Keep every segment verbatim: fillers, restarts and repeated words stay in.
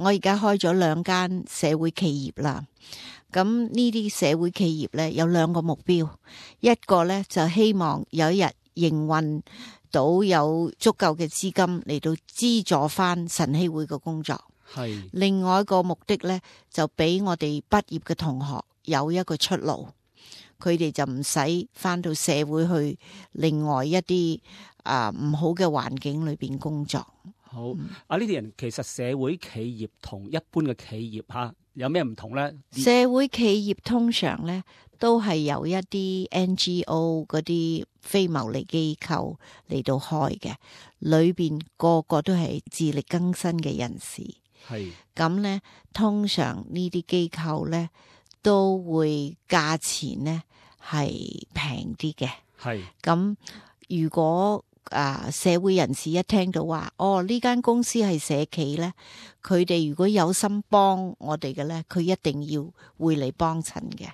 我而家開咗兩間社會企業啦。咁呢啲社會企業咧有兩個目標，一個咧就希望有一日營運到有足夠嘅資金嚟到資助翻晨曦會嘅工作。係。另外一個目的咧就俾我哋畢業嘅同學有一個出路，佢哋就唔使翻到社會去另外一啲啊唔好嘅環境裏邊工作。好，啊呢啲人其實社會企業同一般嘅企業吓有咩唔同咧？社會企業通常咧都係由一啲 N G O 嗰啲非牟利機構嚟到開嘅，裏邊個個都係自力更生嘅人士。係咁咧，通常呢啲機構咧都會價錢咧係平啲嘅。係咁如果啊社會人士一聽到話，哦呢間公司係社企咧，佢哋如果有心幫我哋嘅咧，佢一定要會嚟幫襯嘅。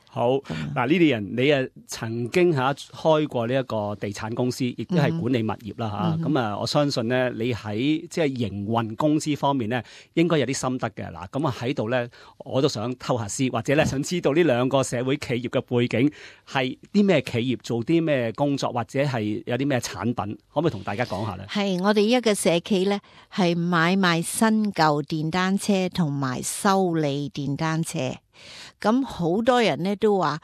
好嗱，呢啲人你啊曾經吓開過呢一個地產公司，亦都係管理物業啦吓。咁、嗯、啊，我相信咧，你喺即係營運公司方面咧，應該有啲心得嘅。嗱，咁啊喺度咧，我都想偷下師，或者咧想知道呢兩個社會企業嘅背景係啲咩企業，做啲咩工作，或者係有啲咩產品，可唔可以同大家講下咧？係我哋一個社企咧，係買賣新舊電單車同埋修理電單車。咁好多人咧都話，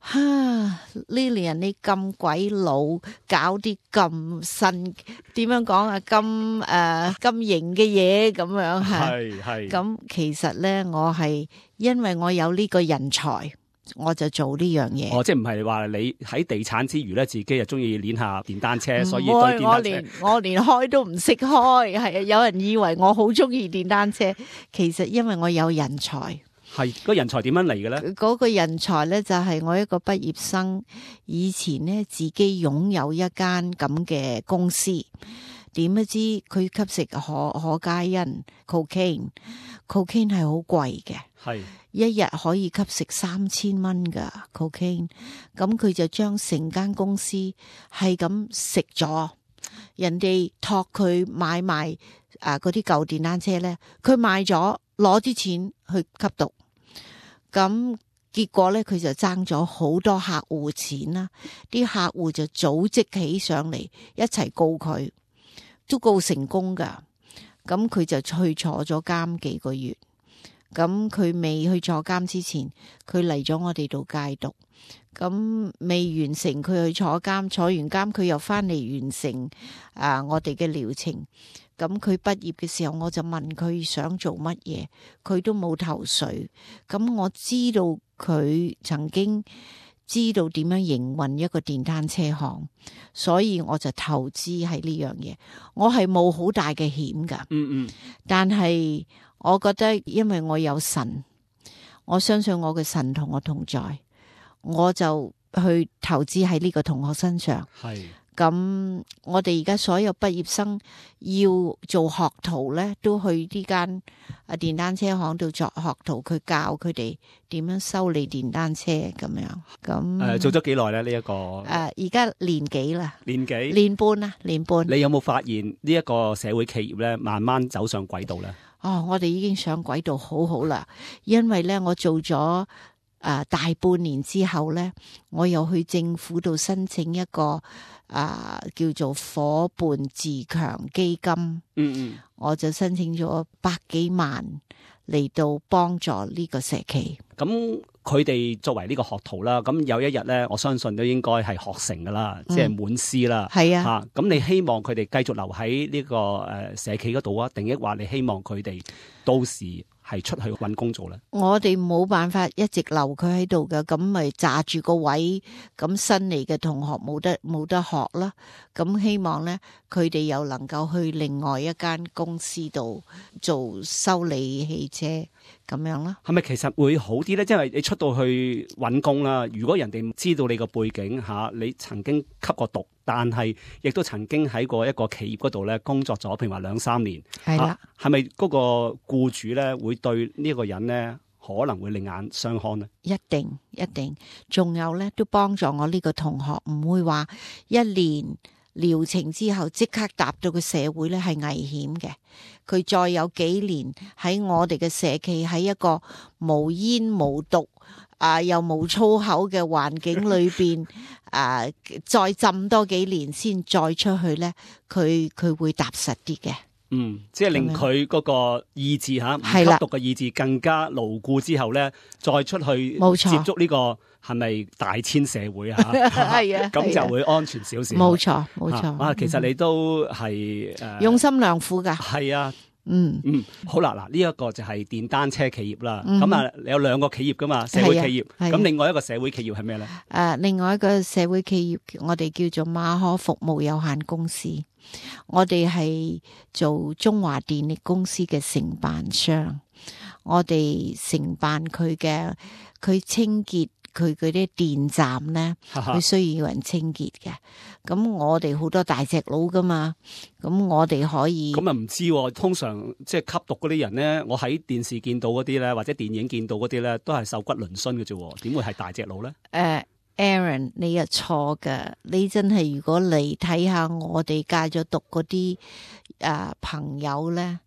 哈，Lilian你咁鬼老，搞啲咁新，點樣講啊？咁誒咁型嘅嘢咁樣吓。係係。咁其實咧，我係因為我有呢個人才，我就做呢樣嘢。哦，即係唔係話你喺地產之餘咧，自己又中意練下電單車，所以對電單車我連我連開都唔識開，係啊！有人以為我好中意電單車，其實因為我有人才。係嗰個人才點樣嚟嘅咧？嗰個人才咧就係我一個畢業生，以前咧自己擁有一間咁嘅公司，點不知佢吸食可可卡因 cocaine，cocaine 係好貴嘅，係一日可以吸食三千蚊噶 cocaine， 咁佢就將成間公司係咁食咗，人哋託佢買賣啊嗰啲舊電單車咧，佢賣咗攞啲錢去吸毒。咁結果咧，佢就爭咗好多客戶錢啦，啲客戶就組織起上嚟一齊告佢，都告成功噶。咁佢就去坐咗監幾個月。咁佢未去坐監之前，佢嚟咗我哋度戒毒。咁未完成佢去坐監，坐完監佢又翻嚟完成啊我哋嘅療程。咁佢畢業嘅時候，我就問佢想做乜嘢，佢都冇頭緒。咁我知道佢曾經知道點樣營運一個電單車行，所以我就投資喺呢樣嘢。我係冇好大嘅險噶，嗯嗯，但係我覺得因為我有神，我相信我嘅神同我同在，我就去投資喺呢個同學身上。係。咁我哋而家所有畢業生要做學徒咧，都去呢間啊電單車行度作學徒，佢教佢哋點樣修理電單車咁樣。咁誒、呃、做咗幾耐咧？呢、這、一個誒而家年幾啦？年幾？年半啦，年半。你有冇發現呢一個社會企業咧，慢慢走上軌道咧？哦，我哋已經上軌道好好啦，因為咧我做咗。啊！大半年之後咧，我又去政府度申請一個啊叫做伙伴自強基金。嗯嗯，我就申請咗百幾萬嚟到幫助呢個社企。咁佢哋作為呢個學徒啦，咁有一日咧，我相信都應該係學成噶啦，即係滿師啦。係啊，吓咁你希望佢哋繼續留喺呢個誒社企嗰度啊，定抑或你希望佢哋到時係出去搵工做咧？我哋冇辦法一直留佢喺度嘅，咁咪揸住個位，咁新嚟嘅同學冇得冇得學啦。咁希望咧，佢哋又能夠去另外一間公司度做修理汽車咁樣啦。係咪其實會好啲咧？因為你出到去搵工啦，如果人哋知道你個背景吓，你曾經吸過毒，但係亦都曾經喺過一個企業嗰度咧工作咗，譬如話兩三年，係啦，係咪嗰個僱主咧會對呢個人咧可能會另眼相看呢？一定一定，仲有咧都幫助我呢個同學，唔會話一年療程之後即刻踏到個社會咧係危險嘅。佢再有幾年喺我哋嘅社企喺一個無煙無毒啊又冇粗口嘅環境裏邊啊，再浸多幾年先再出去咧，佢佢會踏實啲嘅。嗯，即係令佢嗰個意志吓，唔吸毒嘅意志更加牢固之後咧，再出去接觸呢個係咪大千社會啊？係啊，咁就會安全少少。冇錯，冇錯。啊，其實你都係誒用心良苦噶。係啊。嗯嗯，好啦，嗱呢一個就係電單車企業啦。咁啊、嗯，你有兩個企業噶嘛，社會企業。咁、啊、另外一個社會企業係咩咧？誒、啊，另外一個社會企業我哋叫做馬可服務有限公司。我哋係做中華電力公司嘅承辦商，我哋承辦佢嘅佢清潔。佢嗰啲電站咧，佢需要有人清潔嘅。咁我哋好多大隻佬噶嘛，咁我哋可以咁啊唔知喎。通常即係吸毒嗰啲人咧，我喺電視見到嗰啲咧，或者電影見到嗰啲咧，都係瘦骨嶙峋嘅啫。點會係大隻佬咧？誒、uh,，Aaron，你又錯噶。你真係如果嚟睇下我哋戒咗毒嗰啲誒朋友咧，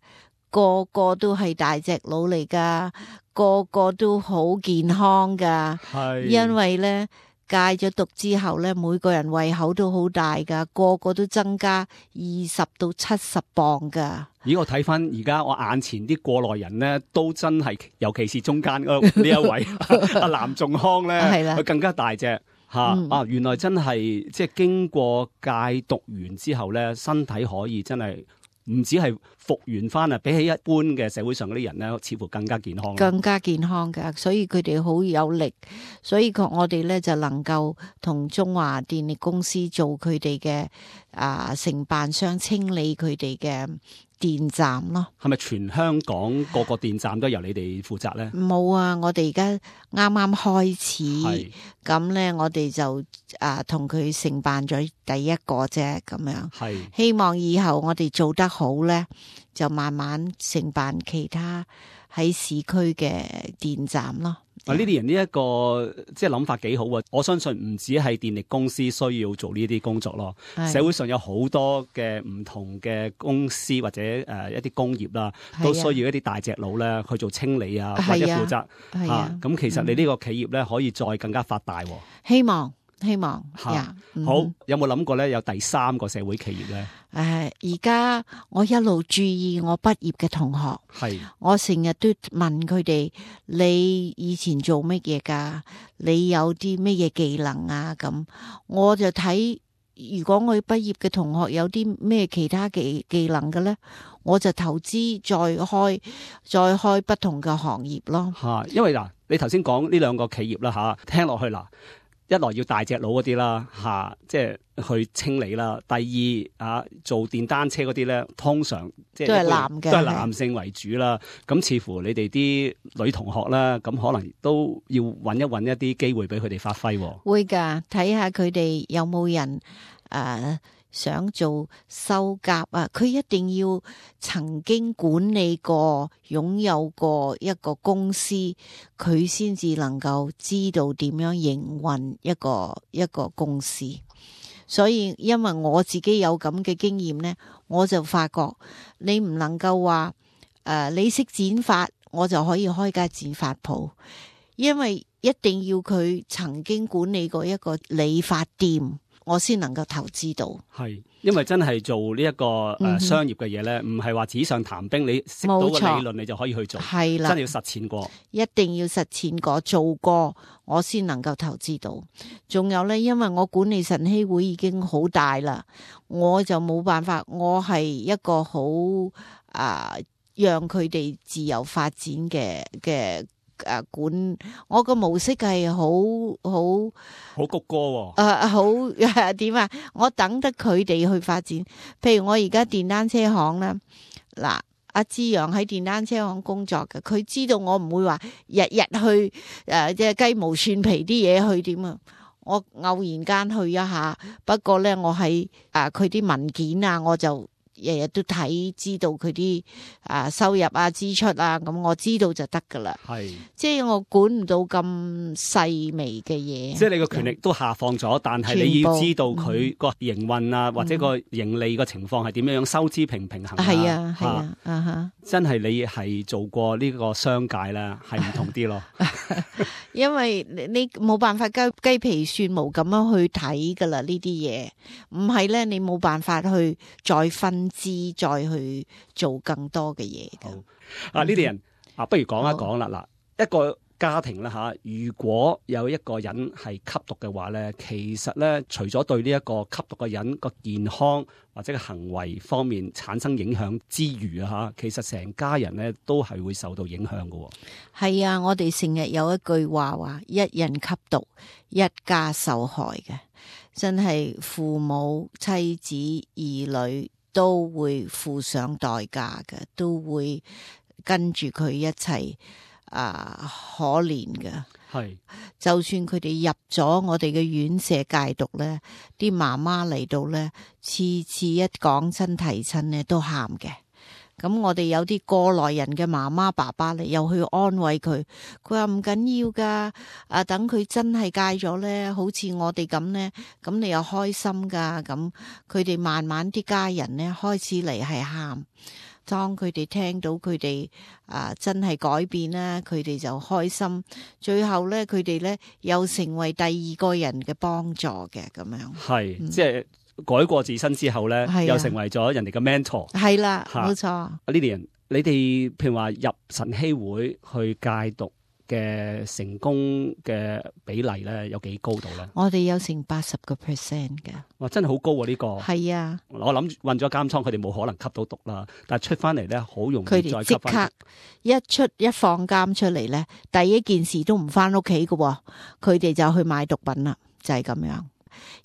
個個都係大隻佬嚟噶。個個都好健康噶，係因為咧戒咗毒之後咧，每個人胃口都好大噶，個個都增加二十到七十磅噶。咦，我睇翻而家我眼前啲過來人咧，都真係，尤其是中間呢一位阿藍仲康咧，佢更加大隻吓、嗯、啊！原來真係即係經過戒毒完之後咧，身體可以真係。唔止係復原翻啊，比起一般嘅社會上嗰啲人咧，似乎更加健康。更加健康㗎，所以佢哋好有力，所以我哋咧就能夠同中華電力公司做佢哋嘅啊承辦商，清理佢哋嘅電站咯。係咪全香港個個電站都由你哋負責咧？冇啊，我哋而家啱啱開始，咁咧我哋就啊同佢承辦咗第一個啫，咁樣。係希望以後我哋做得好咧，就慢慢承辦其他喺市區嘅電站咯。啊！呢啲人呢一個即係諗法幾好啊！我相信唔止係電力公司需要做呢啲工作咯，社會上有好多嘅唔同嘅公司或者誒、呃、一啲工業啦，都需要一啲大隻佬咧去做清理啊，或者負責嚇。咁、啊啊、其實你呢個企業咧可以再更加發大。希望。希望吓、啊嗯、好，有冇諗過咧？有第三個社會企業咧？誒、呃，而家我一路注意我畢業嘅同學，係我成日都問佢哋：你以前做乜嘢噶？你有啲乜嘢技能啊？咁我就睇，如果我畢業嘅同學有啲咩其他技技能嘅咧，我就投資再開再開不同嘅行業咯。吓，因為嗱，你頭先講呢兩個企業啦，吓聽落去嗱。一來要大隻佬嗰啲啦，吓、啊，即係去清理啦。第二啊，做電單車嗰啲咧，通常即係都係男嘅，都係男性為主啦。咁似乎你哋啲女同學啦，咁可能都要揾一揾一啲機會俾佢哋發揮。會噶，睇下佢哋有冇人誒。呃想做修甲啊，佢一定要曾經管理過、擁有過一個公司，佢先至能夠知道點樣營運一個一個公司。所以因為我自己有咁嘅經驗呢，我就發覺你唔能夠話誒、呃，你識剪髮，我就可以開間剪髮鋪，因為一定要佢曾經管理過一個理髮店。我先能夠投資到，係因為真係做呢一個誒商業嘅嘢咧，唔係話紙上談兵，你識到個理論你就可以去做，係啦，真係要實踐過，一定要實踐過做過，我先能夠投資到。仲有咧，因為我管理晨曦會已經好大啦，我就冇辦法，我係一個好啊、呃，讓佢哋自由發展嘅嘅。誒、啊，管我個模式係好好好谷歌喎。誒，好點啊？我等得佢哋去發展。譬如我而家電單車行啦，嗱，阿志陽喺電單車行工作嘅，佢知道我唔會話日日去誒，即係雞毛蒜皮啲嘢去點啊。我偶然間去一下，不過咧，我喺誒佢啲文件啊，我就日日都睇，知道佢啲啊收入啊支出啊，咁我知道就得噶啦。係，即係我管唔到咁細微嘅嘢。即係你個權力都下放咗，但係你要知道佢個營運啊，嗯、或者個盈利個情況係點樣樣，收支平平衡啊。係啊，係啊，啊哈！真係你係做過呢個商界咧，係唔同啲咯。因為你冇辦法雞雞皮蒜毛咁樣去睇噶啦，呢啲嘢唔係咧，你冇辦法去再分支，再去做更多嘅嘢嘅。啊，呢啲人啊，不如講一講啦。嗱，一個家庭啦吓，如果有一個人係吸毒嘅話咧，其實咧，除咗對呢一個吸毒嘅人個健康或者個行為方面產生影響之餘啊吓，其實成家人咧都係會受到影響嘅。係啊，我哋成日有一句話話，一人吸毒，一家受害嘅，真係父母、妻子、兒女都會付上代價嘅，都會跟住佢一齊。啊，可憐嘅，係，就算佢哋入咗我哋嘅院舍戒毒咧，啲媽媽嚟到咧，次次一講親提親咧都喊嘅。咁我哋有啲過來人嘅媽媽爸爸咧，又去安慰佢，佢話唔緊要噶，啊等佢真係戒咗咧，好似我哋咁咧，咁你又開心噶，咁佢哋慢慢啲家人咧開始嚟係喊。當佢哋聽到佢哋啊真係改變啦，佢哋就開心。最後咧，佢哋咧又成為第二個人嘅幫助嘅咁樣。係、嗯，即係改過自身之後咧，啊、又成為咗人哋嘅 mentor。係啦，冇錯。呢啲人，你哋譬如話入晨曦會去戒毒嘅成功嘅比例咧，有幾高度咧？我哋有成八十個 percent 嘅。哇，真係好高啊！呢、這個係啊，我諗混咗監倉，佢哋冇可能吸到毒啦。但係出翻嚟咧，好容易再吸翻。佢哋即刻一出一放監出嚟咧，第一件事都唔翻屋企嘅，佢哋就去買毒品啦，就係、是、咁樣。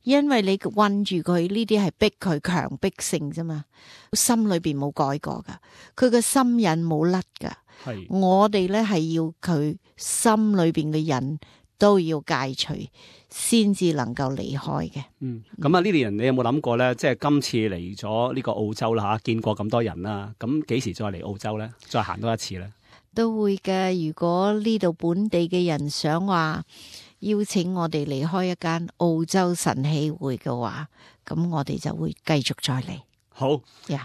因為你困住佢呢啲係逼佢強迫性啫嘛，心裏邊冇改過噶，佢個心癮冇甩噶。係我哋咧係要佢心裏邊嘅癮都要戒除，先至能夠離開嘅。嗯，咁啊，呢啲人你有冇諗過咧？即係今次嚟咗呢個澳洲啦吓，見過咁多人啦，咁幾時再嚟澳洲咧？再行多一次咧？都會嘅。如果呢度本地嘅人想話邀請我哋離開一間澳洲晨曦會嘅話，咁我哋就會繼續再嚟。好，呀、yeah。